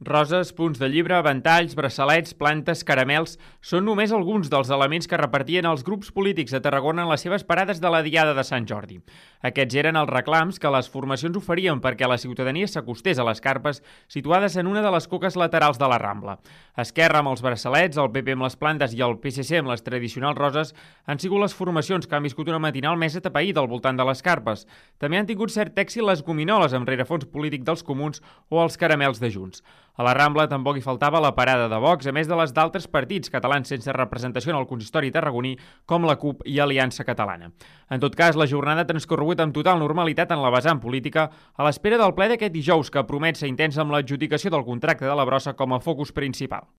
Roses, punts de llibre, ventalls, braçalets, plantes, caramels... Són només alguns dels elements que repartien els grups polítics de Tarragona en les seves parades de la Diada de Sant Jordi. Aquests eren els reclams que les formacions oferien perquè la ciutadania s'acostés a les carpes situades en una de les coques laterals de la Rambla. Esquerra amb els braçalets, el PP amb les plantes i el PSC amb les tradicionals roses han sigut les formacions que han viscut una matinal més atapeïda al voltant de les carpes. També han tingut cert èxit les gominoles amb rerefons polític dels Comuns o els caramels de Junts. A la Rambla tampoc hi faltava la parada de Vox, a més de les d'altres partits catalans sense representació en el consistori tarragoní, com la CUP i Aliança Catalana. En tot cas, la jornada ha transcorregut amb total normalitat en la vessant política, a l'espera del ple d'aquest dijous, que promet ser intens amb l'adjudicació del contracte de la brossa com a focus principal.